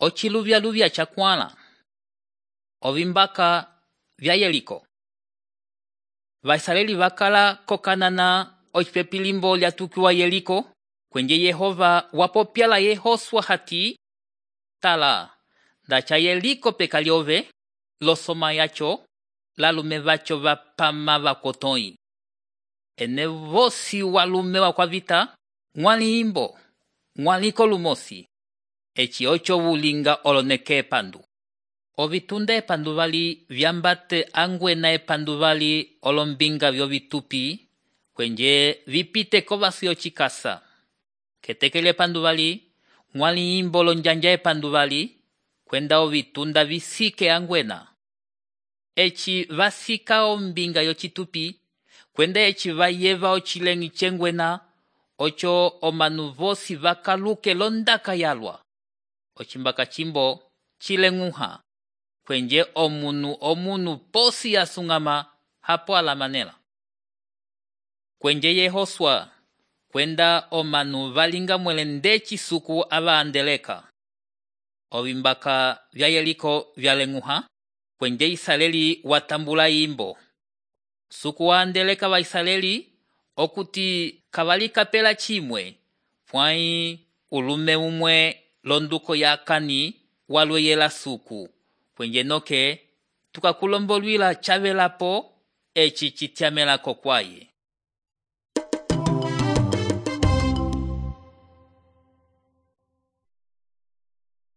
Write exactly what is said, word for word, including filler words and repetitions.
Ociluvya-luvya chakwãla. Ovimbaka vya Yeriko. Vaisraeli vakala kokanana ocipepilimbo lyatukiwa Yeriko, kwenye Yehova wapopyala Yehosua hati, tala, ndacha Yeriko peka lyove, losoma yacho, lalume vacho vapama vakotoi. Ene vosi walume wakwavita, mwali imbo, mwaliko lumosi, eci ocho wulinga oloneke epandu. Ovitunda epandu vali vyambate angwena epandu vali olombinga vyovitupi, kwenye vipite kovasi ochikasa. Ketekele epandu vali, mwali imbo lonjanja epandu vali, kwenda ovitunda visike angwena. Eci vasika ombinga yochitupi, kwenda eci vayeva ochilengi chengwena, ocho omanu vosi vakaluke londaka yalwa. Ochimbaka chimbo chilenguha, kwenye omunu omunu posi yasungama hapo alamanela. Kwenye Yehosua, kwenda omanu valinga mwelendechi suku ava andeleka. Ovimbaka vya Yeriko vyalenguha, kwenye Israeli watambula imbo. Suku wa andeleka wa Israeli, okuti kavalika pela chimwe, pwai ulume umwe londuko ya kani walwe yela suku. Kwenye noke, tukakulombolwila chavelapo, eci chitiamela kokwaye.